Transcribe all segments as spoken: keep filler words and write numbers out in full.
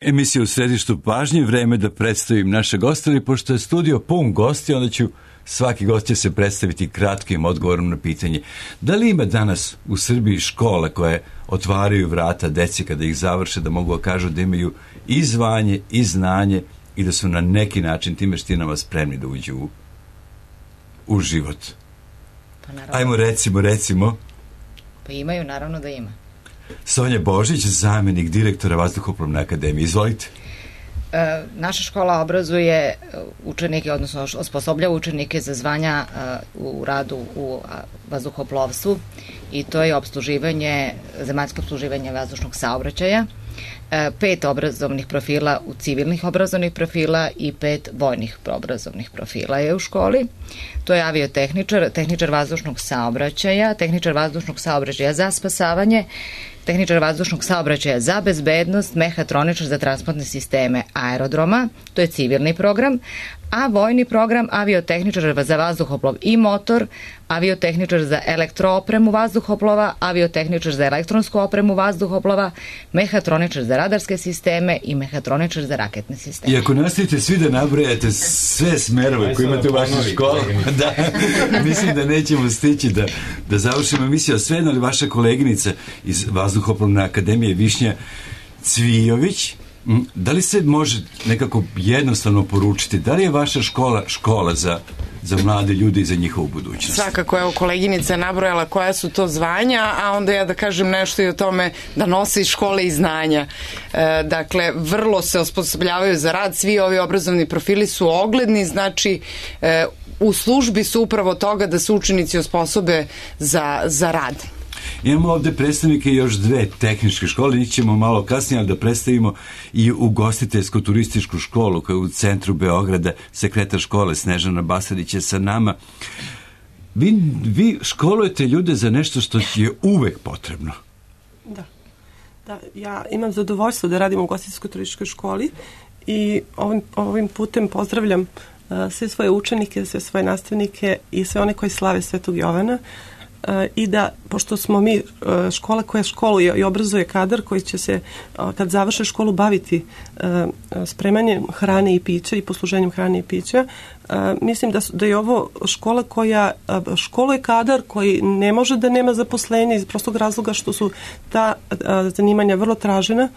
Emisija u središtu pažnje, vreme da predstavim naše goste, ali pošto je studio pun gosti, onda ću svaki gost će se predstaviti kratkim odgovorom na pitanje. Da li ima danas u Srbiji škole koje otvaraju vrata deci kada ih završe, da mogu da kažu da imaju i zvanje i znanje i da su na neki način tim veštinama spremni da uđu u, u život? Pa Ajmo recimo, recimo. Pa imaju, naravno da ima. Sonja Božić, zamjenik direktora Vazduhoplovne akademije. Izvolite. E, naša škola obrazuje učenike, odnosno osposobljava učenike za zvanja e, u radu u vazduhoplovstvu i to je opsluživanje, zemaljsko opsluživanje vazdušnog saobraćaja, e, pet obrazovnih profila u civilnih obrazovnih profila i pet vojnih obrazovnih profila je u školi. To je aviotehničar, tehničar vazdušnog saobraćaja, tehničar vazdušnog saobraćaja za spasavanje, tehničar vazdušnog saobraćaja za bezbednost, mehatroničar za transportne sisteme aerodroma, to je civilni program, a vojni program aviotehničar za vazduhoplov i motor, aviotehničar za elektroopremu vazduhoplova, aviotehničar za elektronsku opremu vazduhoplova, mehatroničar za radarske sisteme i mehatroničar za raketne sisteme. I ako nastavite svi da nabrojate sve smerove koje imate u vašoj školi, da, mislim da nećemo stići da, da završimo emisiju. Svejedno li vaša koleginica iz Vazduhoplovne akademije Višnja Cvijović, da li se može nekako jednostavno poručiti, da li je vaša škola škola za, za mlade ljude i za njihovu budućnost? Svakako, evo, koleginica je nabrojala koja su to zvanja, a onda ja da kažem nešto i o tome da nose iz škole i znanja. E, dakle, vrlo se osposobljavaju za rad, svi ovi obrazovni profili su ogledni, znači e, u službi su upravo toga da se učenici osposobe za, za rad. Imamo ovde predstavnike još dve tehničke škole, njih ćemo malo kasnije, ali da predstavimo i ugostiteljsko-turističku školu koja je u centru Beograda, sekretar škole Snežana Basarić je sa nama. Vi, vi školujete ljude za nešto što je uvek potrebno. Da. Da, ja imam zadovoljstvo da radim u ugostiteljsko-turističkoj školi i ovim, ovim putem pozdravljam uh, sve svoje učenike, sve svoje nastavnike i sve one koji slave Svetog Jovana. Uh, i da, pošto smo mi uh, škola koja školuje i obrazuje kadar koji će se, uh, kad završe školu, baviti uh, spremanjem hrane i pića i posluženjem hrane i pića, uh, mislim da, su, da je ovo škola koja uh, školuje kadar koji ne može da nema zaposlenja iz prostog razloga što su ta uh, zanimanja vrlo tražena,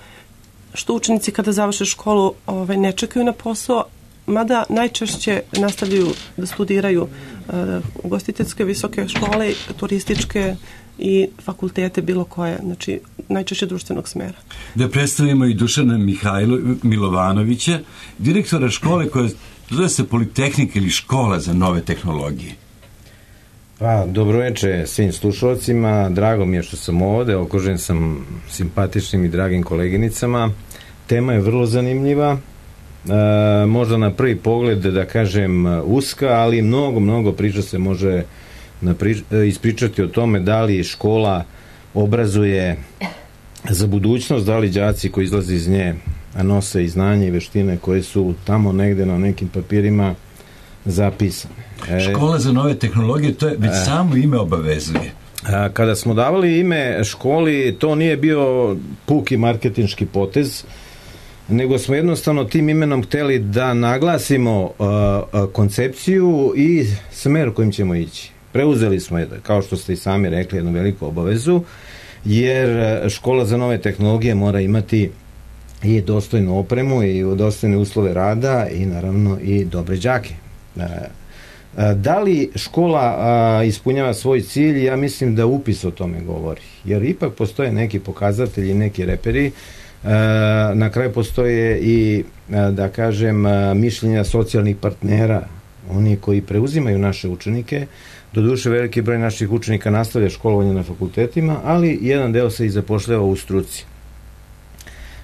što učenici kada završe školu ovaj, ne čekaju na posao, mada najčešće nastavljaju da studiraju uh, ugostiteljske visoke škole, turističke i fakultete bilo koje, znači najčešće društvenog smera. Da predstavimo i Dušana Mihajlo, Milovanovića, direktora škole koja zove se Politehnika ili škola za nove tehnologije. Pa, dobroveče svim slušalcima, drago mi je što sam ovde, okružen sam simpatičnim i dragim koleginicama. Tema je vrlo zanimljiva. E, možda na prvi pogled da kažem uska, ali mnogo, mnogo priča se može naprič, ispričati o tome da li škola obrazuje za budućnost, da li đaci koji izlaze iz nje nose i znanje i veštine koje su tamo negde na nekim papirima zapisane. E, škola za nove tehnologije, to je već e, samo ime obavezuje. A, kada smo davali ime školi, to nije bio puki marketinški potez, nego smo jednostavno tim imenom hteli da naglasimo uh, uh, koncepciju i smer kojim ćemo ići. Preuzeli smo, kao što ste i sami rekli, jednu veliku obavezu, jer škola za nove tehnologije mora imati i dostojnu opremu i dostojne uslove rada i naravno i dobre đake. Uh, uh, da li škola uh, ispunjava svoj cilj? Ja mislim da upis o tome govori, jer ipak postoje neki pokazatelji, neki reperi. Na kraju postoje i, da kažem, mišljenja socijalnih partnera, oni koji preuzimaju naše učenike. Doduše, veliki broj naših učenika nastavlja školovanje na fakultetima, ali jedan deo se i zapošljava u struci.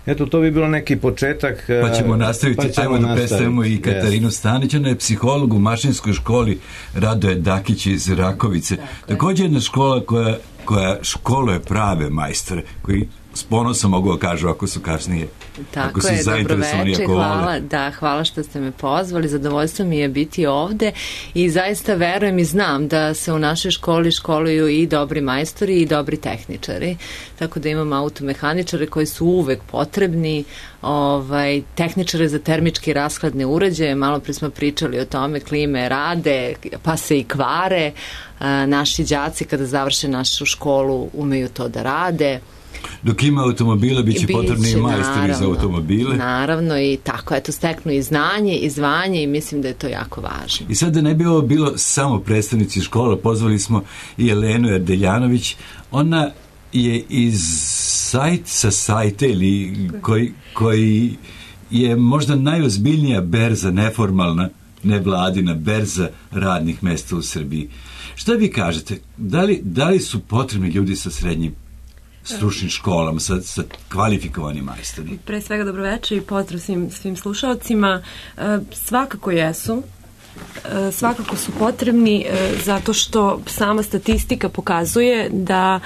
Eto, to bi bilo neki početak. Pa ćemo nastaviti, pa ćemo ajmo da predstavimo i Katarinu yes. Stanić, ona je psiholog u mašinskoj školi Radoje Dakić iz Rakovice. Također jedna škola koja, koja školuje prave majstore, koji s ponosom mogu da kažu ako su kasnije Tako ako su je, zainteresovani, dobroveče, ako hvala, vole. da, hvala što ste me pozvali, zadovoljstvo mi je biti ovde i zaista verujem i znam da se u našoj školi školuju i dobri majstori i dobri tehničari, tako da imamo automehaničare koji su uvek potrebni, ovaj, tehničare za termički rashladne uređaje, malo pre smo pričali o tome, klime rade, pa se i kvare, a, naši đaci kada završe našu školu umeju to da rade. Dok ima automobila, bit će potrebni i majstori za automobile. Naravno i tako, eto, steknu i znanje i zvanje i mislim da je to jako važno. I sad da ne bi ovo bilo samo predstavnici škola, pozvali smo i Jelenu Erdeljanović. Ona je iz sajt sa sajta ili koji, koji je možda najozbiljnija berza, neformalna, nevladina berza radnih mesta u Srbiji. Šta vi kažete? Da li, da li su potrebni ljudi sa srednjim stručnim školama, sa, sa kvalifikovanim majstorima? Pre svega dobroveče i pozdrav svim, svim slušalcima. E, svakako jesu. E, svakako su potrebni e, zato što sama statistika pokazuje da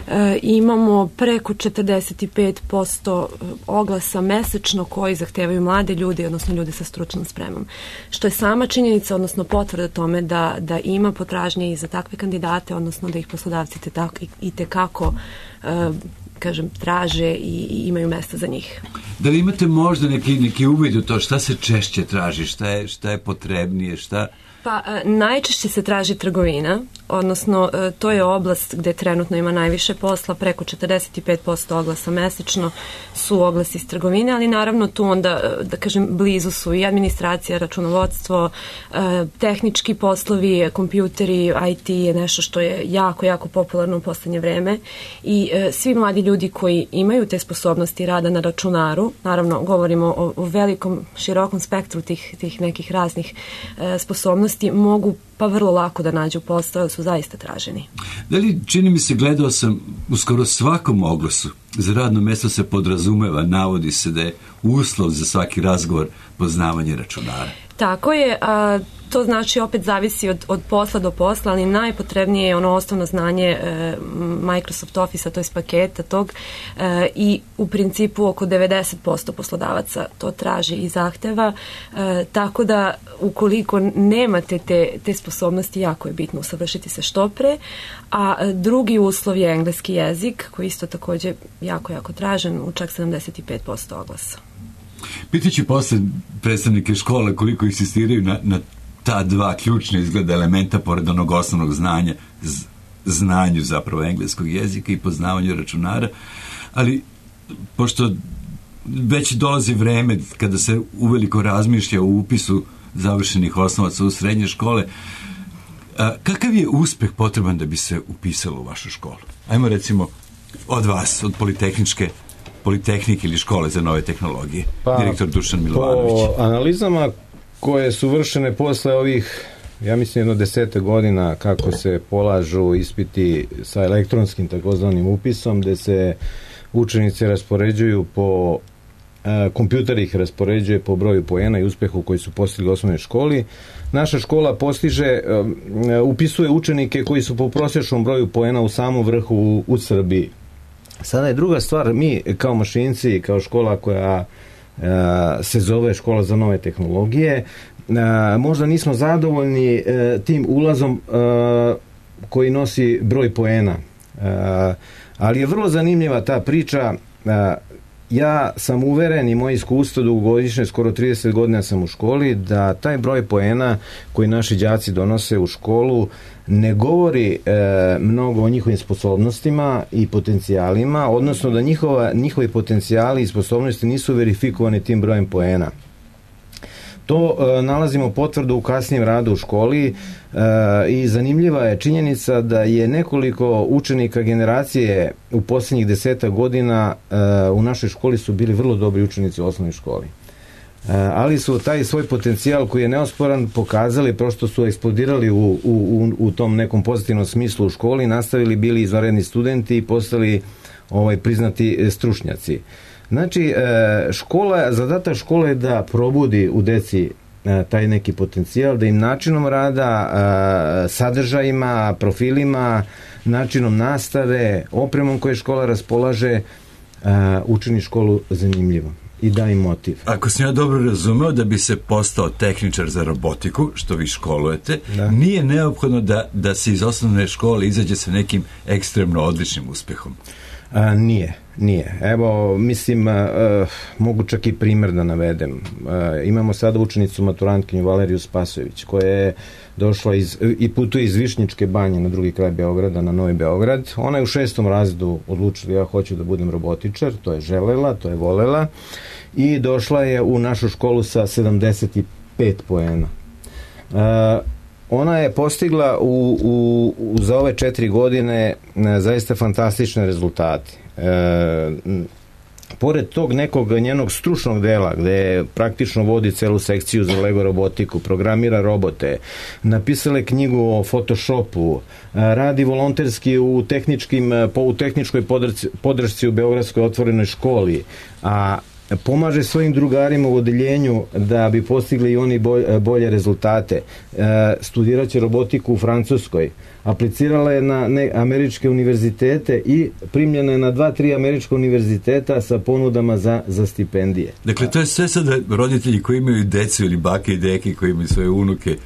e, imamo preko četrdeset pet posto oglasa mesečno koji zahtevaju mlade ljude, odnosno ljude sa stručnom spremom. Što je sama činjenica, odnosno potvrda tome da, da ima potražnje i za takve kandidate, odnosno da ih poslodavci te tako, i, i tekako Uh, kažem, traže i, i imaju mesta za njih. Da li imate možda neki, neki uvid u to šta se češće traži, šta je, šta je potrebnije, šta... Pa uh, najčešće se traži trgovina, odnosno uh, to je oblast gde trenutno ima najviše posla, preko četrdeset pet posto oglasa mesečno su oglasi iz trgovine, ali naravno tu onda, da kažem, blizu su i administracija, računovodstvo, uh, tehnički poslovi, kompjuteri, I T je nešto što je jako, jako popularno u poslednje vreme i uh, svi mladi ljudi koji imaju te sposobnosti rada na računaru, naravno govorimo o, o velikom, širokom spektru tih, tih nekih raznih uh, sposobnosti, mogu pa vrlo lako da nađu posao, su zaista traženi. Da li, čini mi se, gledao sam u skoro svakom oglasu, za radno mesto se podrazumeva, navodi se da je uslov za svaki razgovor poznavanje računara. Tako je, a to znači opet zavisi od, od posla do posla, ali najpotrebnije je ono osnovno znanje e, Microsoft Office-a, to je paketa tog e, i u principu oko devedeset posto poslodavaca to traži i zahteva, e, tako da ukoliko nemate te, te sposobnosti, jako je bitno usavršiti se što pre, a drugi uslov je engleski jezik, koji isto takođe jako, jako tražen u čak sedamdeset pet posto oglasa. Pitaću posle predstavnike škola koliko insistiraju na, na ta dva ključna izgleda elementa pored onog osnovnog znanja, z, znanju zapravo engleskog jezika i poznavanju računara, ali pošto već dolazi vreme kada se uveliko razmišlja o upisu završenih osnovaca u srednje škole, a, kakav je uspeh potreban da bi se upisalo u vašu školu? Ajmo recimo od vas, od Politehničke Politehnike ili škole za nove tehnologije, pa, direktor Dušan Milovanović. Po analizama koje su vršene posle ovih, ja mislim, jedno desete godina kako se polažu ispiti sa elektronskim takozvanim upisom, gde se učenici raspoređuju po, e, kompjuter ih raspoređuje po broju poena i uspehu koji su postigli u osnovnoj školi. Naša škola postiže, e, upisuje učenike koji su po prosječnom broju poena u samom vrhu u, u Srbiji. Sada je druga stvar, mi kao mašinci, kao škola koja uh, se zove škola za nove tehnologije, uh, možda nismo zadovoljni uh, tim ulazom uh, koji nosi broj poena. Uh, ali je vrlo zanimljiva ta priča. Uh, ja sam uveren i moje iskustvo dugogodišnje, skoro trideset godina sam u školi, da taj broj poena koji naši đaci donose u školu ne govori e, mnogo o njihovim sposobnostima i potencijalima, odnosno da njihova, njihovi potencijali i sposobnosti nisu verifikovani tim brojem poena. To e, nalazimo potvrdu u kasnijem radu u školi e, i zanimljiva je činjenica da je nekoliko učenika generacije u posljednjih deseta godina e, u našoj školi su bili vrlo dobri učenici u osnovnoj školi. Ali su taj svoj potencijal koji je neosporan pokazali, prosto su eksplodirali u, u, u tom nekom pozitivnom smislu u školi, nastavili, bili izvanredni studenti i postali ovaj, priznati stručnjaci. Znači, škola, zadatak škole je da probudi u deci taj neki potencijal, da im načinom rada, sadržajima, profilima, načinom nastave, opremom koje škola raspolaže, učini školu zanimljivom. i da im motiv. Ako sam ja dobro razumeo, da bi se postao tehničar za robotiku, što vi školujete, da. Nije neophodno da, da se iz osnovne škole izađe sa nekim ekstremno odličnim uspehom. A, nije, nije. Evo, mislim, a, a, mogu čak i primer da navedem. A, imamo sada učenicu maturantkinju Valeriju Spasojević, koja je došla iz, i putuje iz Višnjičke banje na drugi kraj Beograda, na Novi Beograd. Ona je u šestom razredu odlučila, ja hoću da budem robotičar, to je želela, to je volela, i došla je u našu školu sa sedamdeset pet poena. A, Ona je postigla u, u, u, za ove četiri godine ne, zaista fantastične rezultate. E, pored tog nekog njenog stručnog dela, gde praktično vodi celu sekciju za Lego robotiku, programira robote, napisala je knjigu o Photoshopu, radi volonterski u, tehničkim, u tehničkoj podršci, podršci u Beogradskoj otvorenoj školi, a pomaže svojim drugarima u odeljenju da bi postigli i oni bolje rezultate. E, studirat će robotiku u Francuskoj. Aplicirala je na ne, američke univerzitete i primljena je na dva, tri američka univerziteta sa ponudama za, za stipendije. Dakle, to je sve sada roditelji koji imaju decu ili bake i deke koji imaju svoje unuke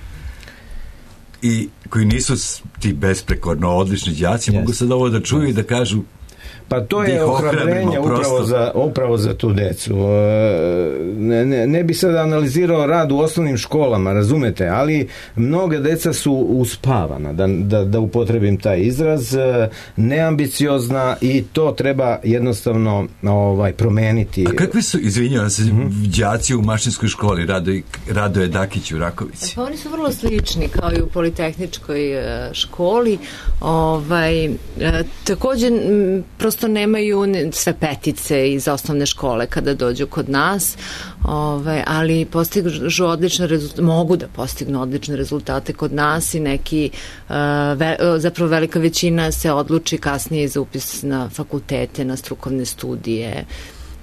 i koji nisu ti besprekorno odlični đaci, yes. mogu sad ovo da čuju yes. i da kažu. Pa to je ohrabrenje upravo za, upravo za tu decu. Ne, ne, ne bi sad analizirao rad u osnovnim školama, razumete, ali mnoge deca su uspavana, da, da, da upotrebim taj izraz, neambiciozna i to treba jednostavno ovaj, promeniti. A kakvi su, izvinjavam se, mm-hmm. đaci u mašinskoj školi, Radoje, Radoje Dakić u Rakovici? Pa oni su vrlo slični kao i u politehničkoj školi. Ovaj, također, prosto nemaju sve petice iz osnovne škole kada dođu kod nas, ovaj, ali postižu odlične rezultate, mogu da postignu odlične rezultate kod nas i neki, uh, ve, zapravo velika većina se odluči kasnije za upis na fakultete, na strukovne studije,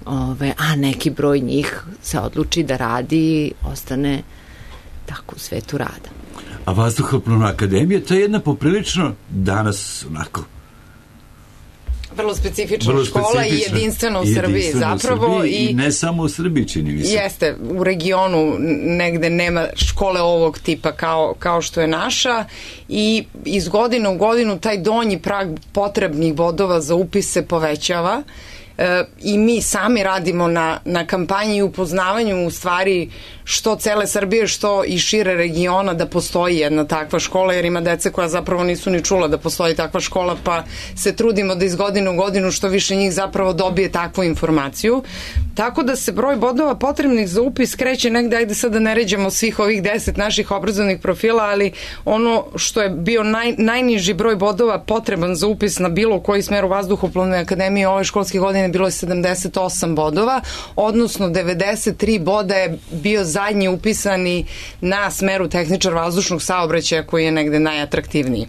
ovaj, a neki broj njih se odluči da radi i ostane tako u svetu rada. A Vazduhoplovna akademija, to je jedna poprilično danas onako vrlo specifična vrlo škola specifična. I jedinstvena u Srbiji jedinstvena zapravo. U Srbiji, i, I ne samo u Srbiji, čini mi se. Jeste, u regionu negde nema škole ovog tipa kao, kao što je naša i iz godine u godinu taj donji prag potrebnih bodova za upis se povećava. E, i mi sami radimo na, na kampanji i upoznavanju u stvari što cele Srbije, što i šire regiona da postoji jedna takva škola, jer ima dece koja zapravo nisu ni čula da postoji takva škola, pa se trudimo da iz godine u godinu što više njih zapravo dobije takvu informaciju. Tako da se broj bodova potrebnih za upis kreće negde, ajde sad da ne ređemo svih ovih deset naših obrazovnih profila, ali ono što je bio naj, najniži broj bodova potreban za upis na bilo koji smer u Vazduhoplovne akademije ove školske godine bilo je sedamdeset osam bodova, odnosno devedeset tri boda je bio zadnji upisani na smeru tehničar vazdušnog saobraćaja koji je negde najatraktivniji.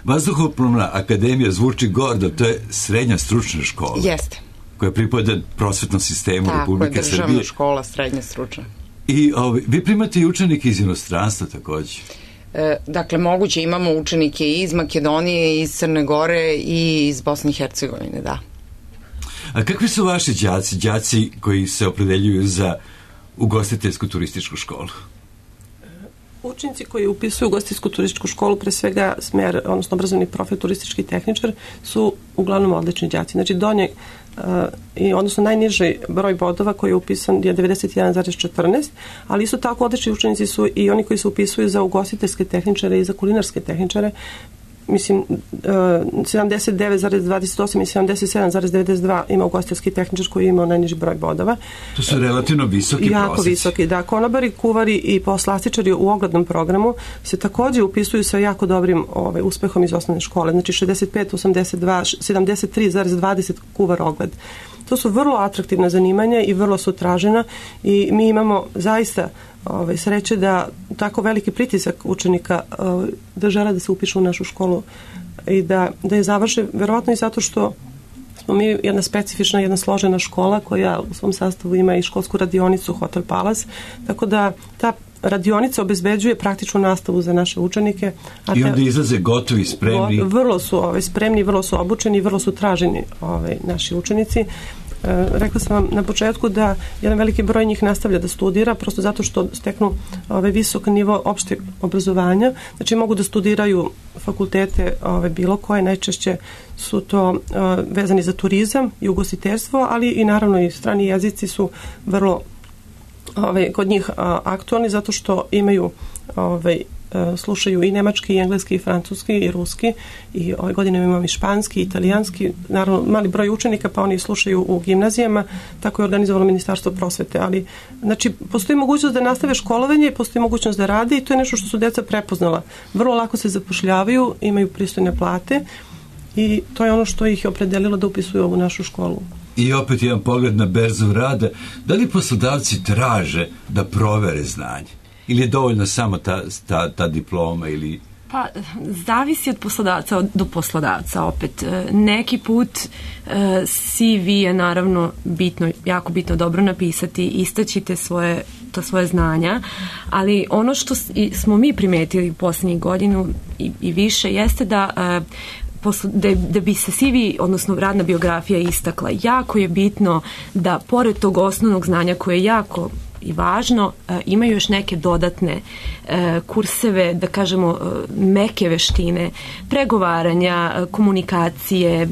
Vazduhoplovna akademija zvuči gordo, to je srednja stručna škola. Jeste. Koja pripada prosvetnom sistemu tako, Republike Srbije. Tako je, državna škola, srednja stručna. I ovi, vi primate i učenike iz inostranstva takođe? E, dakle, moguće imamo učenike i iz Makedonije, iz Crne Gore i iz Bosne i Hercegovine, da. A kakvi su vaši đaci, đaci koji se opredeljuju za ugostiteljsku turističku školu? Učenici koji upisuju ugostiteljsku turističku školu, pre svega smer, odnosno obrazovni profil turistički tehničar, su uglavnom odlični đaci. Znači, donje, uh, i odnosno najniži broj bodova koji je upisan je devedeset jedan zarez četrnaest, ali isto tako odlični učenici su i oni koji se upisuju za ugostiteljske tehničare i za kulinarske tehničare. Mislim, sedamdeset devet zarez dvadeset osam i sedamdeset sedam zarez devedeset dva ima ugostiteljski tehničar koji ima najniži broj bodova. To su relativno visoki prosjeci. Jako visoki, da. Konobari, kuvari i poslastičari u oglednom programu se takođe upisuju sa jako dobrim ovaj, uspehom iz osnovne škole. Znači šezdeset pet, osamdeset dva, sedamdeset tri zarez dvadeset kuvar ogled. To su vrlo atraktivna zanimanja i vrlo su tražena i mi imamo zaista ovaj, sreće da tako veliki pritisak učenika ovaj, da žele da se upišu u našu školu i da, da je završe, verovatno i zato što smo mi jedna specifična, jedna složena škola koja u svom sastavu ima i školsku radionicu Hotel Palace, tako da ta radionica obezbeđuje praktičnu nastavu za naše učenike. A I onda te, izlaze gotovi, spremni. Vrlo su ovaj, spremni, vrlo su obučeni, vrlo su traženi ovaj, naši učenici. rekla sam vam na početku da jedan veliki broj njih nastavlja da studira, prosto zato što steknu ovaj, visok nivo opšteg obrazovanja, znači mogu da studiraju fakultete ovaj, bilo koje, najčešće su to uh, vezani za turizam i ugostiteljstvo, ali i naravno i strani jezici su vrlo ovaj, kod njih uh, aktualni zato što imaju ovaj, slušaju i nemački, i engleski, i francuski, i ruski, i ove godine imamo i španski, i italijanski, naravno mali broj učenika, pa oni slušaju u gimnazijama, tako je organizovalo Ministarstvo prosvete, ali znači postoji mogućnost da nastave školovanje, postoji mogućnost da rade i to je nešto što su deca prepoznala. Vrlo lako se zapošljavaju, imaju pristojne plate i to je ono što ih je opredelilo da upisuju ovu našu školu. I opet jedan pogled na berzu rada. Da li poslodavci traže da provere znanje? Ili je dovoljno samo ta, ta, ta diploma ili... Pa, zavisi od poslodavca do poslodavca opet. Neki put C V je naravno bitno, jako bitno dobro napisati, istaćite svoje, to svoje znanja, ali ono što smo mi primetili u posljednjih godinu i, i više jeste da... Da, da bi se C V, odnosno radna biografija istakla, jako je bitno da pored tog osnovnog znanja koje je jako i važno, imaju još neke dodatne kurseve, da kažemo meke veštine, pregovaranja, komunikacije.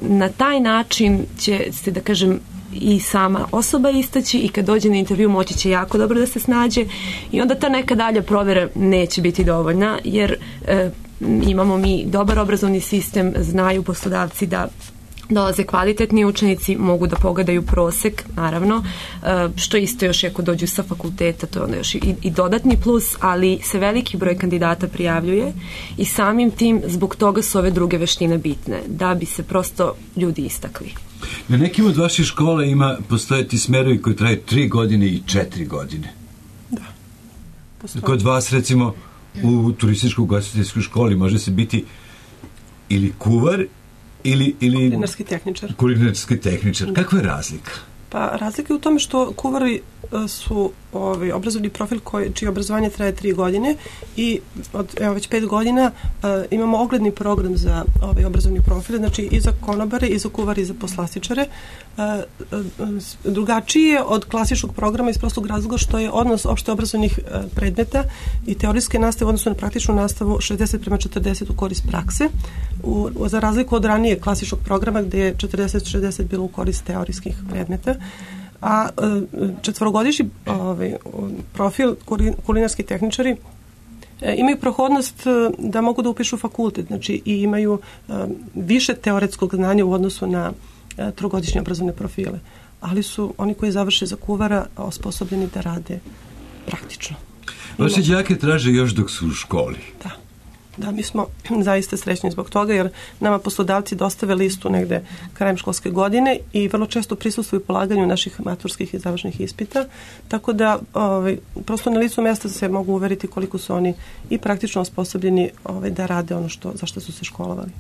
Na taj način će se, da kažem, i sama osoba istaći i kad dođe na intervju moći će jako dobro da se snađe i onda ta neka dalja provera neće biti dovoljna, jer imamo mi dobar obrazovni sistem, znaju poslodavci da dolaze kvalitetni učenici, mogu da pogledaju prosek, naravno, što isto još ako dođu sa fakulteta, to je onda još i, i dodatni plus, ali se veliki broj kandidata prijavljuje i samim tim zbog toga su ove druge veštine bitne, da bi se prosto ljudi istakli. Na nekim od vaših škola ima postojati smerovi koji traju tri godine i četiri godine. Da. Postoji. Kod vas, recimo, u turističko-ugostiteljskoj školi može se biti ili kuvar ili, ili kulinarski tehničar. Kulinarski tehničar. Kakva je razlika? Pa razlika je u tome što kuvari su ovaj, obrazovni profil koji, čije obrazovanje traje tri godine i od evo, već pet godina uh, imamo ogledni program za ovaj, obrazovni profil, znači i za konobare, i za kuvari, i za poslastičare. Uh, uh, drugačiji je od klasičnog programa iz prostog razloga što je odnos opšte obrazovnih uh, predmeta i teorijske nastave u odnosu na praktičnu nastavu šezdeset prema četrdeset u korist prakse, u, za razliku od ranije klasičnog programa gde je četrdeset šezdeset bilo u korist teorijskih predmeta. A četvorogodišnji ovaj, profil kulinarski tehničari imaju prohodnost da mogu da upišu fakultet, znači i imaju više teoretskog znanja u odnosu na trogodišnje obrazovne profile, ali su oni koji završe za kuvara osposobljeni da rade praktično. Vaše đake traže još dok su u školi. Da. Da, mi smo zaista srećni zbog toga, jer nama poslodavci dostave listu negde krajem školske godine i vrlo često prisustvuju polaganju naših maturskih i završnih ispita, tako da ovaj, prosto na listu mjesta se mogu uveriti koliko su oni i praktično osposobljeni ovaj, da rade ono što, za što su se školovali.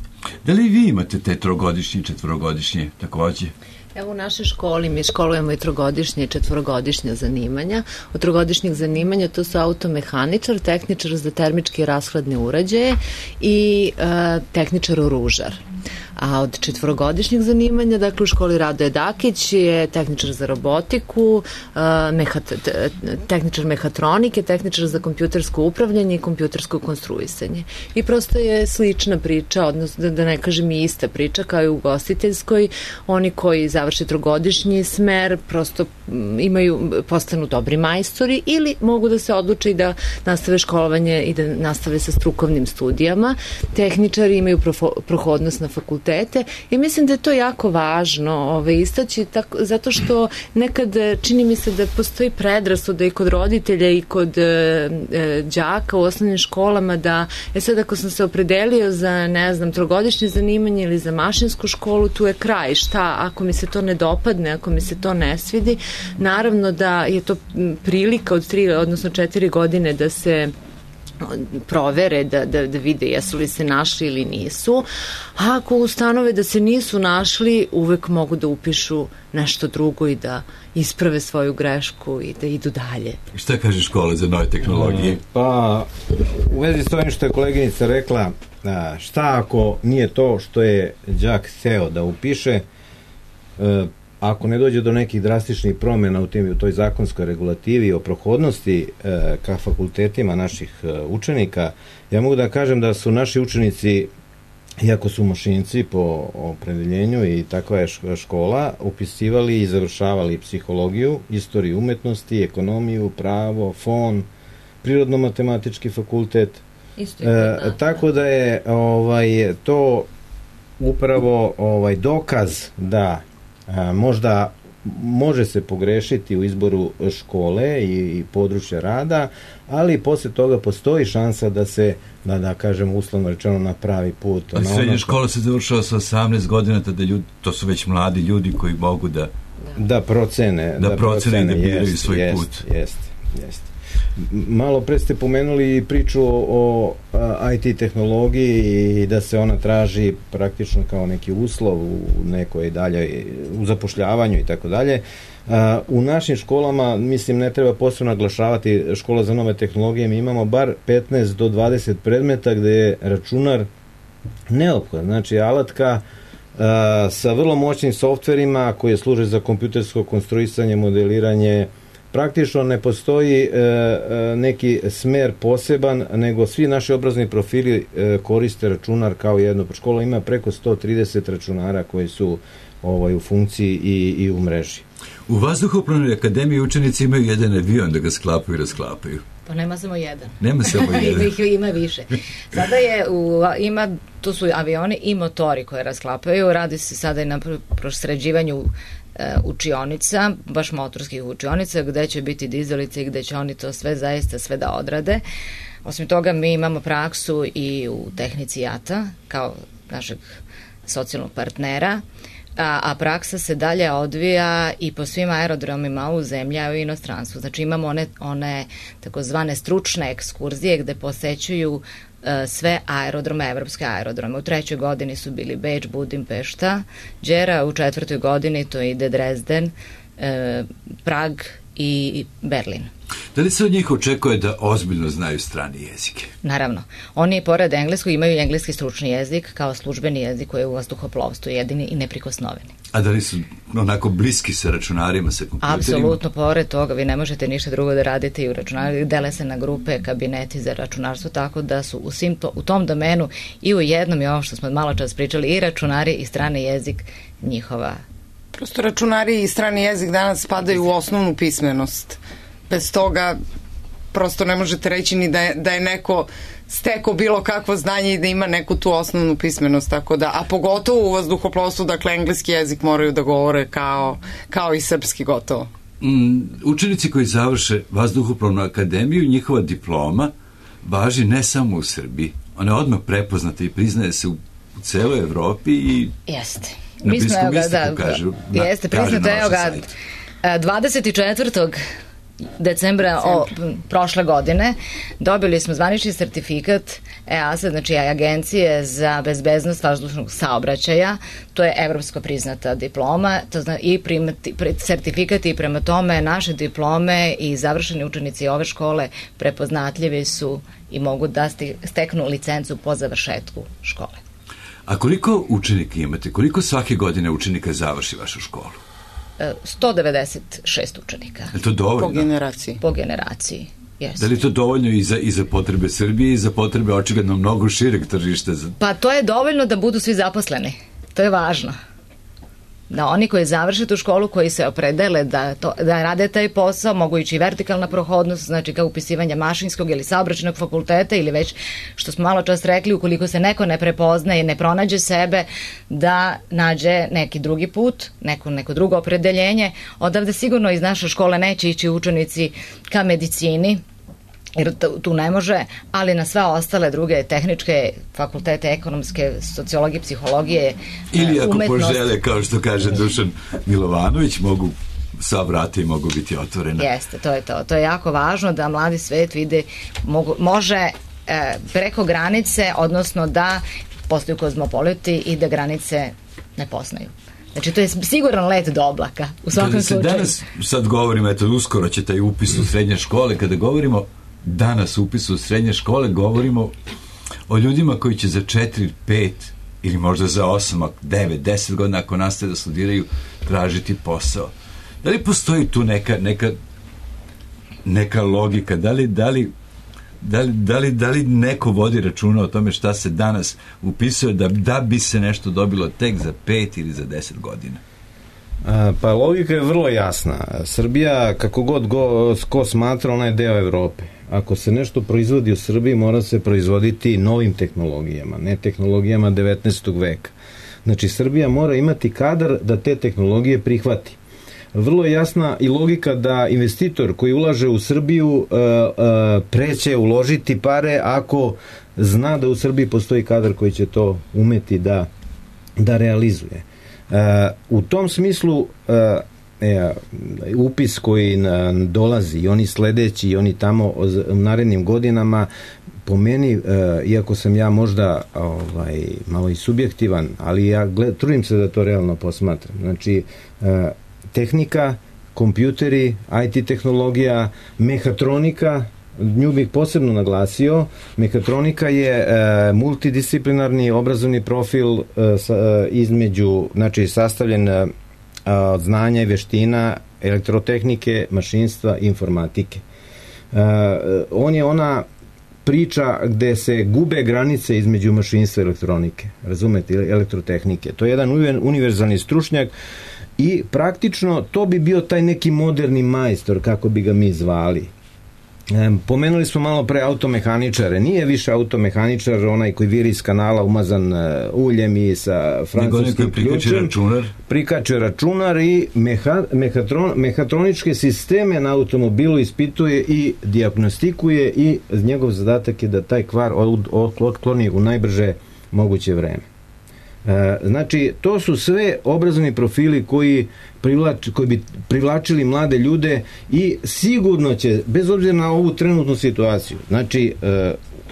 Da li vi imate te trogodišnje i četvorogodišnje takođe? Evo u našoj školi mi školujemo i trogodišnje i četvorogodišnje zanimanja. Od trogodišnjih zanimanja to su automehaničar, tehničar za termičke i rashladne uređaje i e, tehničar oružar. A od četvorogodišnjih zanimanja, dakle u školi Radoje Dakić je tehničar za robotiku, mehat, tehničar mehatronike, tehničar za kompjutersko upravljanje i kompjutersko konstruisanje. I prosto je slična priča, odnosno da ne kažem i ista priča kao i u ugostiteljskoj. Oni koji završe trogodišnji smer prosto imaju, postanu dobri majstori ili mogu da se odluče i da nastave školovanje i da nastave sa strukovnim studijama. Tehničari imaju profo, prohodnost na fakultetu i mislim da je to jako važno ovaj, istaći tako, zato što nekad čini mi se da postoji predrasuda i kod roditelja i kod e, đaka u osnovnim školama da je sad ako sam se opredelio za ne znam trogodišnje zanimanje ili za mašinsku školu, tu je kraj, šta ako mi se to ne dopadne, ako mi se to ne svidi, naravno da je to prilika od tri odnosno četiri godine da se provere, da, da, da vide jesu li se našli ili nisu. A ako ustanove da se nisu našli, uvek mogu da upišu nešto drugo i da isprave svoju grešku i da idu dalje. Šta kaže škola za nove tehnologije? Pa, u vezi s ovim što je koleginica rekla, šta ako nije to što je đak hteo da upiše, ako ne dođe do nekih drastičnih promjena u, tim, u toj zakonskoj regulativi o prohodnosti e, ka fakultetima naših e, učenika, ja mogu da kažem da su naši učenici, iako su mašinci po opredeljenju i takva je škola, upisivali i završavali psihologiju, istoriju umetnosti, ekonomiju, pravo, fon, prirodno-matematički fakultet. Isto je, da, e, tako da je ovaj, to upravo ovaj, dokaz da a, možda može se pogrešiti u izboru škole i, i područja rada, ali posle toga postoji šansa da se, da, da kažem, uslovno rečeno na pravi put. A srednja ono škola se završava sa osamnaest godina, tada ljudi, to su već mladi ljudi koji mogu da da procene, da, da procene i da biraju jest, svoj jest, put. Jeste, jeste. Malo pre ste pomenuli priču o, o I T tehnologiji i da se ona traži praktično kao neki uslov u nekoj dalje, u zapošljavanju i tako dalje. U našim školama, mislim, ne treba posebno naglašavati škola za nove tehnologije, mi imamo bar petnaest do dvadeset predmeta gde je računar neophodan, znači alatka a, sa vrlo moćnim softverima koje služe za kompjutersko konstruisanje, modeliranje. Praktično ne postoji e, e, neki smer poseban, nego svi naši obrazovni profili e, koriste računar kao jedno. Škola ima preko sto trideset računara koji su ovaj, u funkciji i, i u mreži. U Vazduhoplovnoj akademiji učenici imaju jedan avion da ga sklapaju i rasklapaju. Pa nema samo jedan. Nema samo jedan. Ima, ima više. Sada je, u, ima, tu su avioni i motori koje rasklapaju. Radi se sada i na prosređivanju učionica, baš motorskih učionica, gde će biti dizalice i gde će oni to sve zaista sve da odrade. Osim toga, mi imamo praksu i u tehnici J A T A, kao našeg socijalnog partnera, a, a praksa se dalje odvija i po svim aerodromima u zemlji, a u inostranstvu. Znači imamo one, one takozvane stručne ekskurzije gde posećuju sve aerodrome, evropske aerodrome. U trećoj godini su bili Beč, Budimpešta, Đera, u četvrtoj godini to ide Dresden, eh, Prag i Berlin. Da li se od njih očekuje da ozbiljno znaju strane jezike? Naravno. Oni, pored engleskog, imaju i engleski stručni jezik kao službeni jezik koji je u vazduhoplovstvu jedini i neprikosnoveni. A da li su onako bliski sa računarima, sa kompjuterima? Apsolutno, pored toga vi ne možete ništa drugo da radite i u računarima, dele se na grupe, kabineti za računarstvo, tako da su u, svim to, u tom domenu i u jednom i ovo što smo malo čas pričali, i računari i strani jezik njihova. Prosto računari i strani jezik danas spadaju u osnovnu pismenost. Bez toga prosto ne možete reći ni da je, da je neko stekao bilo kakvo znanje i da ima neku tu osnovnu pismenost, tako da, a pogotovo u vazduhoplovstvu, dakle engleski jezik moraju da govore kao, kao i srpski gotovo. Mm, učenici koji završe Vazduhoplovnu akademiju, njihova diploma važi ne samo u Srbiji, ona je odmah prepoznata i priznaje se u, u celoj Evropi i jeste. na Mi smo, Bliskom ga, istoku, da, kažu, da, jeste, priznato, evo ga, dvadeset četvrtog decembra o, prošle godine dobili smo zvanični sertifikat E A S A, znači Agencije za bezbednost vazdušnog saobraćaja, to je evropsko priznata diploma, to zna, i primati, sertifikat i prema tome naše diplome i završeni učenici ove škole prepoznatljivi su i mogu da steknu licencu po završetku škole. A koliko učenika imate? Koliko svake godine učenika završi vašu školu? sto devedeset šest učenika. Je to dovoljno? Po generaciji. Po generaciji, jesu. Da li je to dovoljno i za, i za potrebe Srbije i za potrebe očigledno mnogo šireg tržišta? Za... Pa to je dovoljno da budu svi zaposleni. To je važno. Da oni koji završe tu školu, koji se opredele da, to, da rade taj posao, mogu ići vertikalna prohodnost, znači kao upisivanje mašinskog ili saobraćajnog fakulteta ili već, što smo malo čas rekli, ukoliko se neko ne prepoznaje, ne pronađe sebe, da nađe neki drugi put, neko, neko drugo opredeljenje. Odavde sigurno iz naše škole neće ići učenici ka medicini, jer tu ne može, ali na sve ostale druge tehničke fakultete, ekonomske, sociologije, psihologije, ili ako umetnost. požele, kao što kaže Dušan Milovanović, mogu sva vrata i mogu biti otvorena. Jeste, to je to. To je jako važno da mladi svet vide, mogu, može e, preko granice, odnosno da postaju kozmopoliti i da granice ne poznaju. Znači, to je siguran let do oblaka, u svakom kada se slučaju. Danas, sad govorimo, eto, uskoro će taj upis u srednje škole, kada govorimo danas upisu u srednje škole, govorimo o ljudima koji će za četiri, pet ili možda za osam, devet, deset godina ako nastave da studiraju, tražiti posao. Da li postoji tu neka, neka, neka logika? Da li, da li Da li, da, li, da li neko vodi računa o tome šta se danas upisuje da, da bi se nešto dobilo tek za pet ili za deset godina? A, pa logika je vrlo jasna. Srbija, kako god go, ko smatra, ona je deo Evrope. Ako se nešto proizvodi u Srbiji, mora se proizvoditi novim tehnologijama, ne tehnologijama devetnaestog veka. Znači, Srbija mora imati kadar da te tehnologije prihvati. Vrlo je jasna i logika da investitor koji ulaže u Srbiju uh, uh, preće uložiti pare ako zna da u Srbiji postoji kadar koji će to umeti da, da realizuje. Uh, u tom smislu uh, e, upis koji na, dolazi i oni sledeći i oni tamo u narednim godinama, po meni, uh, iako sam ja možda ovaj, malo i subjektivan, ali ja gled, trudim se da to realno posmatram. Znači, uh, tehnika, kompjuteri, I T tehnologija, mehatronika, nju bih posebno naglasio. Mehatronika je e, multidisciplinarni obrazovni profil e, sa, e, između, znači sastavljen e, od znanja i veština elektrotehnike, mašinstva i informatike. E, on je ona priča gde se gube granice između mašinstva i elektronike, razumete, elektrotehnike. To je jedan univerzalni stručnjak i praktično to bi bio taj neki moderni majstor, kako bi ga mi zvali. E, pomenuli smo malo pre automehaničare. Nije više automehaničar onaj koji viri iz kanala umazan uh, uljem i sa francuskim ključem. Računar. Prikače računar i meha, mehatron, mehatroničke sisteme na automobilu ispituje i dijagnostikuje i njegov zadatak je da taj kvar od, od, otkloni u najbrže moguće vreme. Znači, to su sve obrazovni profili koji, privlač, koji bi privlačili mlade ljude i sigurno će, bez obzira na ovu trenutnu situaciju, znači,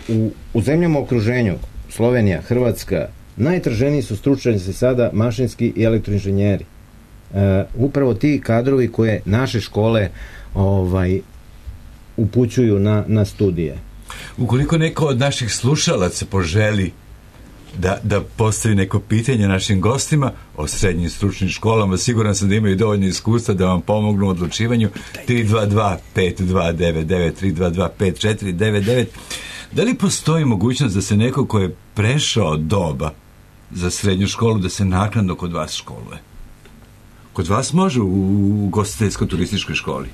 u, u zemljama okruženju, Slovenija, Hrvatska, najtraženiji su stručnjaci sada mašinski i elektroinženjeri. Upravo ti kadrovi koje naše škole ovaj, upućuju na, na studije. Ukoliko neko od naših slušalaca poželi Da, da postavi neko pitanje našim gostima o srednjim stručnim školama, siguran sam da imaju dovoljno iskustva da vam pomognu u odlučivanju. Tri dva dva pet dva devet devet, tri dva dva pet četiri devet devet. Da li postoji mogućnost da se neko ko je prešao doba za srednju školu, da se naknadno kod vas školuje? Kod vas može u, u ugostiteljsko-turističkoj školi?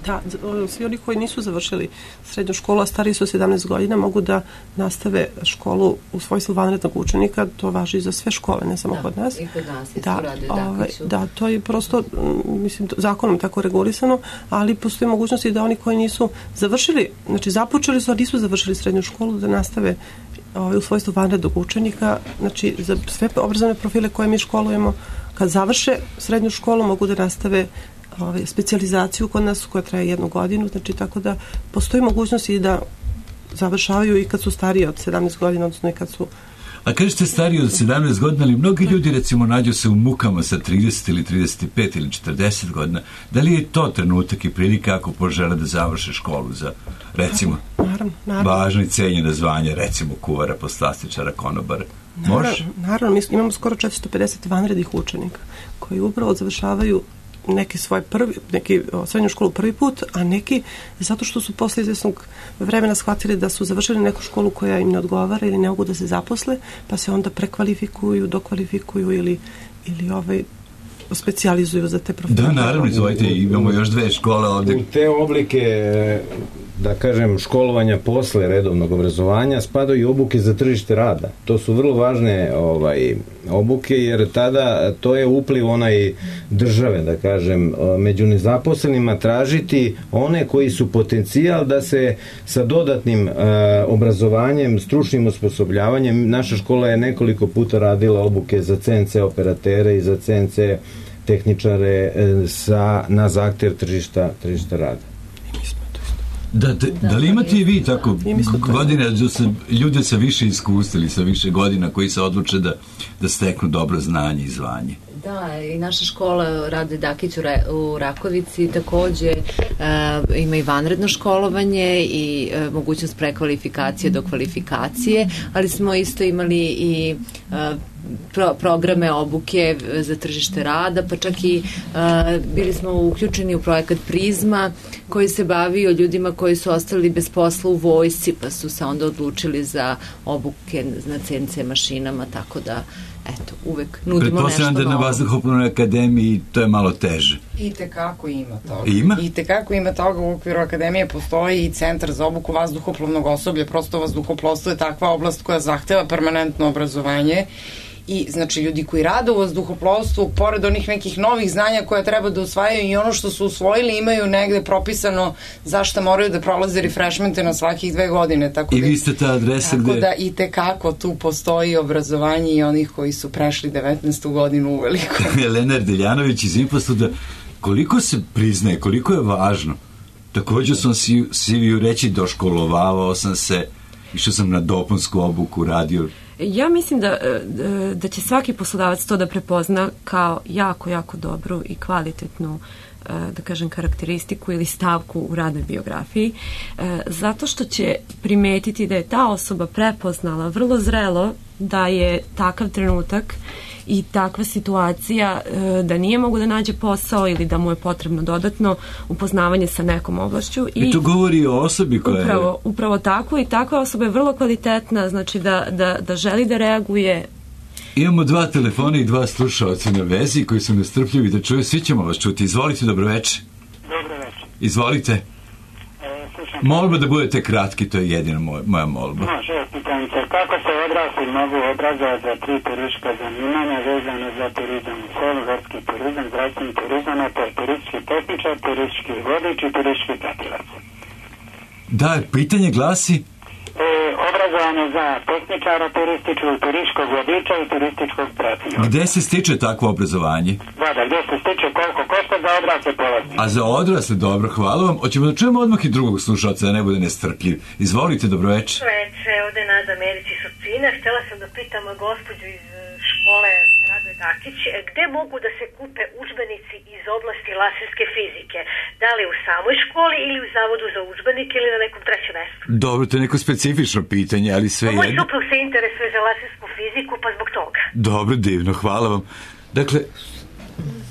Da, svi oni koji nisu završili srednju školu, a stariji su sedamnaest godina, mogu da nastave školu u svojstvu vanrednog učenika. To važi za sve škole, ne samo da, kod nas. I kod nas da, rade, ove, da, to je prosto, mislim, zakonom tako regulisano, ali postoji mogućnosti da oni koji nisu završili, znači započeli su, a nisu završili srednju školu, da nastave ove, u svojstvu vanrednog učenika. Znači, za sve obrazovne profile koje mi školujemo, kad završe srednju školu, mogu da nastave Ove, specijalizaciju kod nas koja traje jednu godinu, znači tako da postoji mogućnost i da završavaju i kad su stariji od sedamnaest godina, odnosno i kad su... A kažete stariji od sedamnaest godina, ali mnogi ljudi recimo nađu se u mukama sa trideset ili trideset pet ili četrdeset godina. Da li je to trenutak i prilika ako požele da završe školu za, recimo, naravno, naravno. važno i cenjeno zvanje, recimo kuvara, poslastičara, konobara? Može? Naravno, naravno, mi imamo skoro četiristo pedeset vanrednih učenika koji upravo završavaju neki svoj prvi, neki o, srednju školu prvi put, a neki zato što su posle izvesnog vremena shvatili da su završili neku školu koja im ne odgovara ili ne mogu da se zaposle, pa se onda prekvalifikuju, dokvalifikuju ili, ili ovaj specijalizuju za te profile. Da, naravno, izvolite, imamo još dve škole ovde. U te oblike, da kažem, školovanja posle redovnog obrazovanja spadaju i obuke za tržište rada. To su vrlo važne ovaj, obuke, jer tada to je upliv onaj države, da kažem, među nezaposlenima tražiti one koji su potencijal da se sa dodatnim uh, obrazovanjem, stručnim osposobljavanjem, naša škola je nekoliko puta radila obuke za C N C operatere i za C N C tehničare sa, na zahtev tržišta, tržišta rada. Da, da, da li imate i vi tako godine, da se ljude sa više iskustva ili sa više godina koji se odluče da, da steknu dobro znanje i zvanje? Da, i naša škola Rade Dakić u, Re, u Rakovici takođe e, ima i vanredno školovanje i e, mogućnost prekvalifikacije do kvalifikacije, ali smo isto imali i e, pro, programe obuke za tržište rada, pa čak i e, bili smo uključeni u projekat Prizma koji se bavio ljudima koji su ostali bez posla u vojsci, pa su se onda odlučili za obuke na C N C mašinama, tako da eto, uvek nudimo nešto novo. Pretpostavljam da na Vazduhoplovnoj akademiji to je malo teže. I tekako ima toga. Ima? I tekako ima toga. U okviru akademije postoji i centar za obuku vazduhoplovnog osoblja. Prosto vazduhoplovstvo je takva oblast koja zahteva permanentno obrazovanje. I znači ljudi koji rade u vazduhoplovstvu, pored onih nekih novih znanja koja treba da usvajaju i ono što su usvojili imaju negde propisano zašto moraju da prolaze refreshmente na svakih dve godine. Tako I da, vi ste ta adresa tako gde... Tako da i tekako tu postoji obrazovanje i onih koji su prešli devetnaestu godinu uveliko. Elena Deljanović iz Infostuda, koliko se priznaje, koliko je važno? Također sam si, si reći doškolovavao sam se, išao sam na dopunsku obuku, radio. Ja mislim da, da će svaki poslodavac to da prepozna kao jako, jako dobru i kvalitetnu, da kažem, karakteristiku ili stavku u radnoj biografiji, zato što će primetiti da je ta osoba prepoznala vrlo zrelo da je takav trenutak i takva situacija da nije mogu da nađe posao ili da mu je potrebno dodatno upoznavanje sa nekom oblašću. I, I to govori o osobi koja upravo, je... Upravo tako, i takva osoba je vrlo kvalitetna, znači da, da, da želi da reaguje. Imamo dva telefona i dva slušalca na vezi koji su nestrpljivi da čuju. Svi ćemo vas čuti. Izvolite, dobroveče. Dobroveče. Izvolite. E, Molba da budete kratki, to je jedina moja, moja molba. Može, pitam se, kako se odrasli mogu obrazovati za tri turistička zanimanja vezano za turizam u selu, gorski turizam, zdravstveni turizam, a to je turistički tehničar, turistički vodič i turistički pratilac? Da, pitanje glasi... E, obrazovanje za tehničara turističkog, turističkog vodiča i turističkog pratioca. Gde se stiče takvo obrazovanje? Da, da, gde se stiče, koliko košta za odrasle polaznice? A za odrasle, dobro, hvala vam. Hoćemo da čujemo odmah i drugog slušalca, da ne bude nestrpljiv. Izvolite, dobroveče. Dobroveče, ovde je Nada Merić iz Surčina. Htela sam da pitam gospođu iz škole Rade Dakić, gde mogu da se kupe udžbenici iz oblasti laserske fizike? Da li u samoj školi ili u Zavodu za udžbenike ili na nekom trećem mestu? Dobro, to je neko specifično pitanje, ali sve jedno. Moj suprug se interesuje za lasersku fiziku, pa zbog toga. Dobro, divno, hvala vam. Dakle,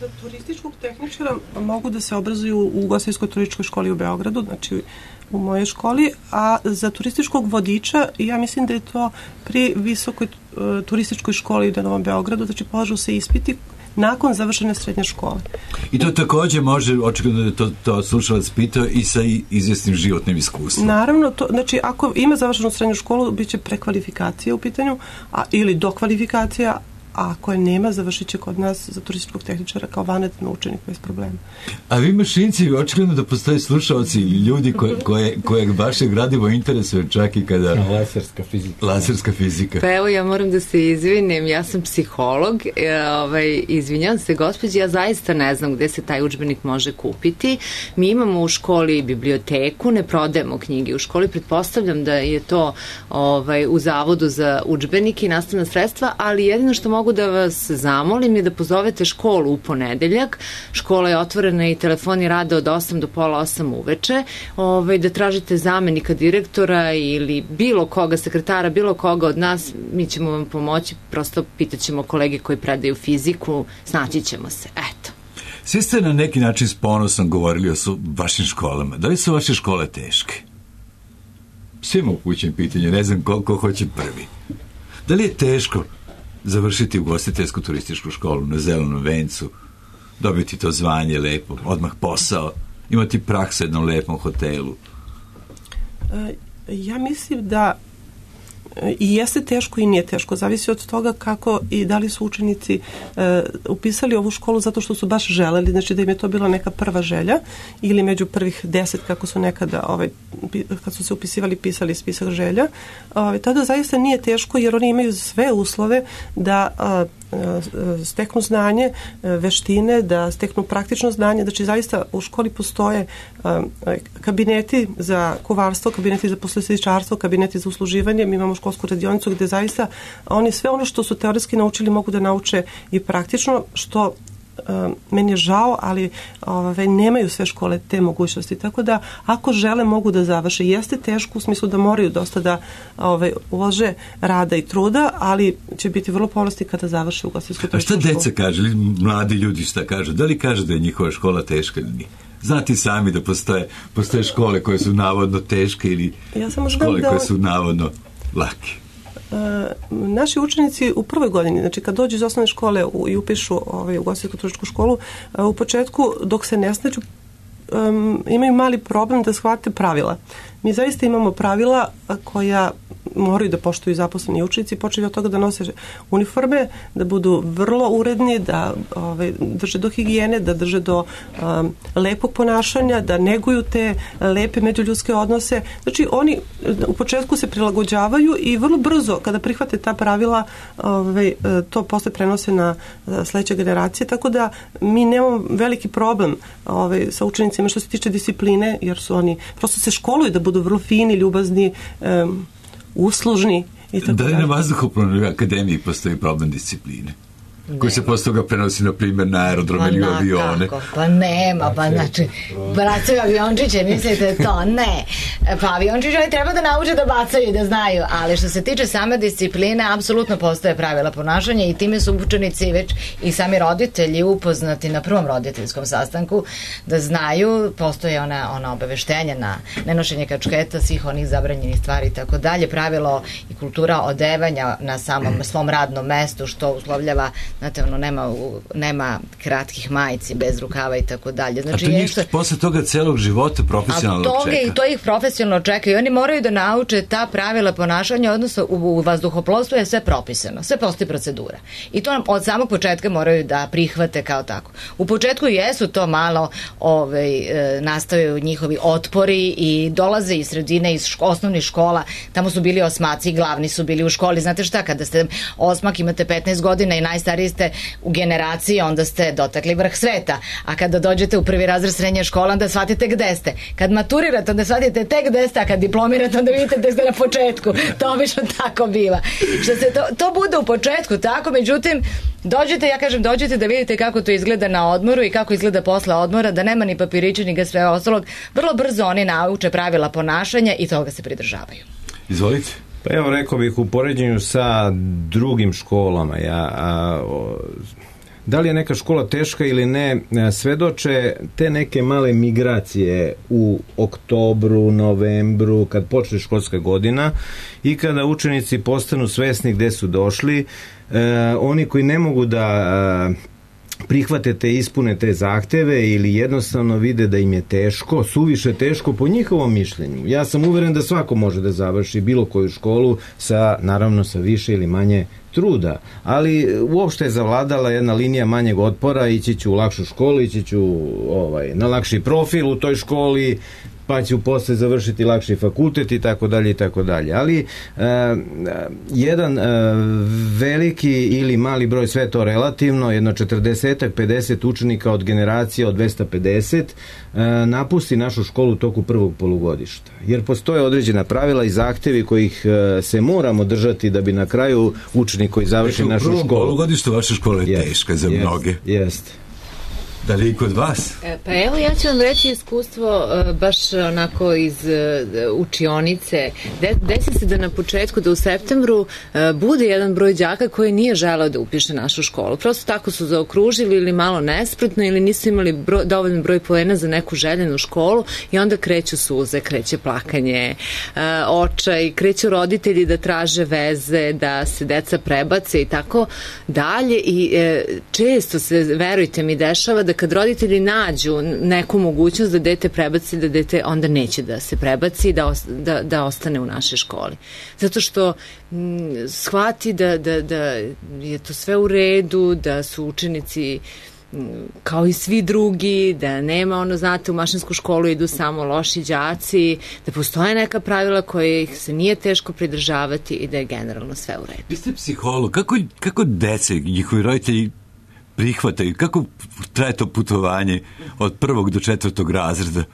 za turističkog tehničara mogu da se obrazuju u Ugostiteljskoj turističkoj školi u Beogradu, znači u mojoj školi, a za turističkog vodiča ja mislim da je to pri visokoj uh, turističkoj školi na Novom Beogradu, znači polažu se ispiti nakon završene srednje škole. I to takođe može, očigledno da je to, to slušalac pitao, i sa izvjesnim životnim iskustvom. Naravno, to, znači ako ima završenu srednju školu, bit će prekvalifikacija u pitanju, a, ili dokvalifikacija, a ako je nema, završit će kod nas za turističkog tehničara kao vanredan učenik bez problema. A vi mašinci, očigledno da postoje slušalci ili ljudi koje, koje, koje vaše gradivo interesuje čak i kada... Laserska fizika. Laserska fizika. Pa evo, ja moram da se izvinim, ja sam psiholog, ovaj, izvinjam se gospođi, ja zaista ne znam gde se taj udžbenik može kupiti. Mi imamo u školi biblioteku, ne prodajemo knjige u školi, pretpostavljam da je to ovaj, u Zavodu za udžbenike i nastavna sredstva, ali jedino što mogu da vas zamolim je da pozovete školu u ponedeljak. Škola je otvorena i telefoni rade od osam do pola osam uveče. Ovaj, da tražite zamenika direktora ili bilo koga, sekretara, bilo koga od nas, mi ćemo vam pomoći, prosto pitaćemo kolege koji predaju fiziku, snaći ćemo se. Eto. Svi ste na neki način s ponosom govorili o su vašim školama. Da li su vaše škole teške? Svima upućem pitanje, ne znam ko, ko hoće prvi. Da li je teško završiti ugostiteljsku turističku školu na Zelenom vencu, dobiti to zvanje lepo, odmah posao, imati praksu u jednom lepom hotelu? Ja mislim da i jeste teško i nije teško, zavisi od toga kako i da li su učenici uh, upisali ovu školu zato što su baš želeli, znači da im je to bila neka prva želja ili među prvih deset kako su nekada ovaj, kad su se upisivali pisali spisak želja, ovaj, tada zaista nije teško jer oni imaju sve uslove da uh, steknu znanje, veštine, da steknu praktično znanje. Znači zaista u školi postoje kabineti za kuvarstvo, kabineti za posledičarstvo, kabineti za usluživanje. Mi imamo školsku radionicu gde zaista oni sve ono što su teoretski naučili mogu da nauče i praktično, što meni je žao, ali ove, nemaju sve škole te mogućnosti. Tako da, ako žele, mogu da završe. Jeste teško u smislu da moraju dosta da ove, ulože rada i truda, ali će biti vrlo ponosni kada završe ugostiteljsku-turističku školu. A šta deca kaže, ili mladi ljudi šta kažu? Da li kaže da je njihova škola teška ili nije? Znate sami da postoje, postoje škole koje su navodno teške ili ja škole da koje su navodno lake. Uh, naši učenici u prvoj godini, znači kad dođu iz osnovne škole u, i upišu ovaj, ugostiteljsku-turističku školu, uh, u početku dok se ne snađu um, imaju mali problem da shvate pravila. Mi zaista imamo pravila koja moraju da poštuju zaposleni učenici, počeli od toga da nose uniforme, da budu vrlo uredni, da ove, drže do higijene, da drže do um, lepog ponašanja, da neguju te lepe međuljudske odnose. Znači oni u početku se prilagođavaju i vrlo brzo kada prihvate ta pravila ove, to posle prenose na sledeće generacije, tako da mi nemamo veliki problem ove, sa učenicima što se tiče discipline, jer su oni prosto se školuju da budu vrlo fini, ljubazni, um, uslužni i tako da li dalje. na vazduhoplovnoj akademiji postoji problem discipline? Ne. Koji se posle toga prenosi, na primjer, na aerodrome ili avione. Kako? Pa nema, pa znači, bacaju aviončiće, mislite to? Ne. Pa aviončiće oni treba da nauče da bacaju i da znaju, ali što se tiče same discipline, apsolutno postoje pravila ponašanja i time su učenici već i sami roditelji upoznati na prvom roditeljskom sastanku da znaju, postoje ona, ona obaveštenja na nenošenje kačketa, svih onih zabranjenih stvari i tako dalje, pravilo i kultura odevanja na samom svom radnom mestu, što uslovljava. Znate, ono, nema, nema kratkih majici, bez rukava i tako dalje. Znači, a to njih posle toga celog života profesionalno toga, čeka. I to ih profesionalno čeka i oni moraju da nauče ta pravila ponašanja, odnosno u, u vazduhoplovstvu je sve propisano, sve postoji procedura. I to od samog početka moraju da prihvate kao tako. U početku jesu to malo ovaj, e, nastaju njihovi otpori i dolaze iz sredine, iz ško, osnovnih škola, tamo su bili osmaci, glavni su bili u školi. Znate šta, kada ste osmak, imate petnaest godina i najstariji ste u generaciji, onda ste dotakli vrh sveta. A kada dođete u prvi razred srednje škole, onda shvatite gde ste. Kad maturirate, onda shvatite tek gde ste, a kad diplomirate, onda vidite da ste na početku. To obično tako biva. Što se to, to bude u početku tako, međutim, dođete, ja kažem, dođete da vidite kako to izgleda na odmoru i kako izgleda posle odmora, da nema ni papirića, ni ga sve ostalog. Vrlo brzo oni nauče pravila ponašanja i toga se pridržavaju. Izvolite. Pa evo, rekao bih, u poređenju sa drugim školama, ja, a, o, da li je neka škola teška ili ne, svedoče te neke male migracije u oktobru, novembru, kad počne školska godina i kada učenici postanu svesni gde su došli, e, oni koji ne mogu da a, prihvate te, ispune te zahteve ili jednostavno vide da im je teško, suviše teško po njihovom mišljenju. Ja sam uveren da svako može da završi bilo koju školu sa, naravno, sa više ili manje truda, ali uopšte je zavladala jedna linija manjeg otpora, ići ću u lakšu školu, ići ću ovaj, na lakši profil u toj školi, pa ću posle završiti lakši fakultet i tako dalje i tako dalje. Ali uh, jedan uh, veliki ili mali broj, sve to relativno, jedno četrdeset pedeset učenika od generacije od dvesta pedeset uh, napusti našu školu u toku prvog polugodišta. Jer postoje određena pravila i zahtevi kojih uh, se moramo držati da bi na kraju učenik koji završi našu školu. U prvom polugodištu vaša škola je jest, teška za jest, mnoge. Jeste. Da li i kod vas? Pa evo, ja ću vam reći iskustvo baš onako iz učionice. Desi se da na početku, da u septembru bude jedan broj đaka koji nije želeo da upiše našu školu. Prosto tako su zaokružili ili malo nespretno ili nisu imali broj, dovoljno broj poena za neku željenu školu i onda kreću suze, kreće plakanje, očaj, kreću roditelji da traže veze, da se deca prebace i tako dalje i često se, verujte mi, dešava da kad roditelji nađu neku mogućnost da dete prebaci, da dete onda neće da se prebaci, da, da, da ostane u našoj školi. Zato što m, shvati da, da, da je to sve u redu, da su učenici kao i svi drugi, da nema ono, znate, u mašinsku školu idu samo loši đaci, da postoje neka pravila koje ih se nije teško pridržavati i da je generalno sve u redu. Vi ste psiholog, kako, kako dece, njihovi roditelji prihvataju, kako traje to putovanje od prvog do četvrtog razreda?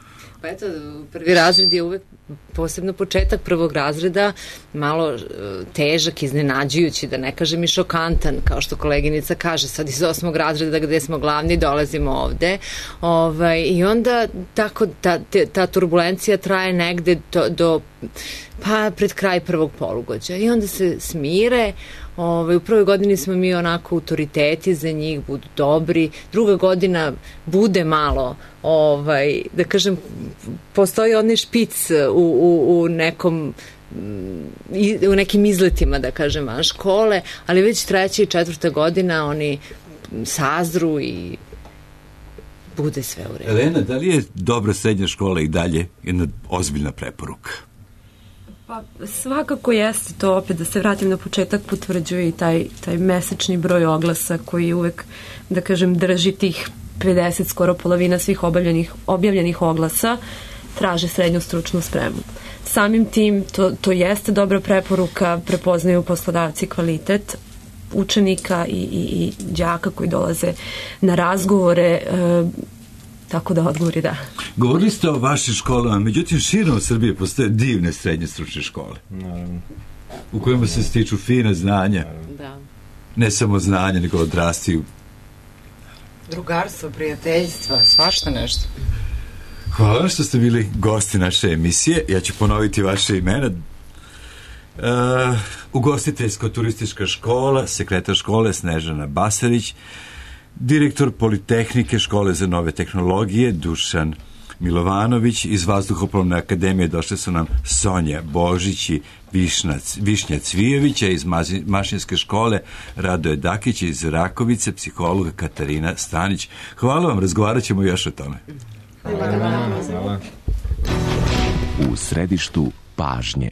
Pa eto, prvi razred je uvek, posebno početak prvog razreda, malo težak, iznenađujući, da ne kažem i šokantan, kao što koleginica kaže, sad iz osmog razreda gde smo glavni dolazimo ovde. Ovaj, I onda tako ta, ta turbulencija traje negde do, do pa pred kraj prvog polugođa. I onda se smire. Ovaj, u prvoj godini smo mi onako autoriteti za njih, budu dobri. Druga godina bude malo, ovaj, da kažem, postoji onaj špic u, u, u nekom u nekim izletima, da kažem, van škole, ali već treća i četvrta godina oni sazru i bude sve u redu. Elena, da li je dobra srednja škola i dalje jedna ozbiljna preporuka? Pa svakako jeste to, opet da se vratim na početak, potvrđuje i taj, taj mesečni broj oglasa koji uvek, da kažem, drži tih pedeset, skoro polovina svih objavljenih, objavljenih oglasa traže srednju stručnu spremu. Samim tim to, to jeste dobra preporuka, prepoznaju poslodavci kvalitet učenika i, i, i đaka koji dolaze na razgovore, e, tako da odgovor je da. Govorili ste o vašim školama, međutim širom Srbije postoje divne srednje stručne škole. Naravno. U kojima se stiču fine znanja. Da. Ne samo znanja, nego odrastiju. Drugarstvo, prijateljstva, svašta nešto. Hvala vam što ste bili gosti naše emisije. Ja ću ponoviti vaše imena. Uh, ugostiteljsko-turistička škola, sekretar škole Snežana Basarić, direktor Politehnike škole za nove tehnologije Dušan Milovanović, iz Vazduhoplovne akademije došle su nam Sonja Božić i Višnac, Višnja Cvijevića, iz Mašinske škole Radoje Dakić, iz Rakovice psihologa Katarina Stanić. Hvala vam, razgovarat ćemo još o tome. Hvala. Hvala. U središtu pažnje.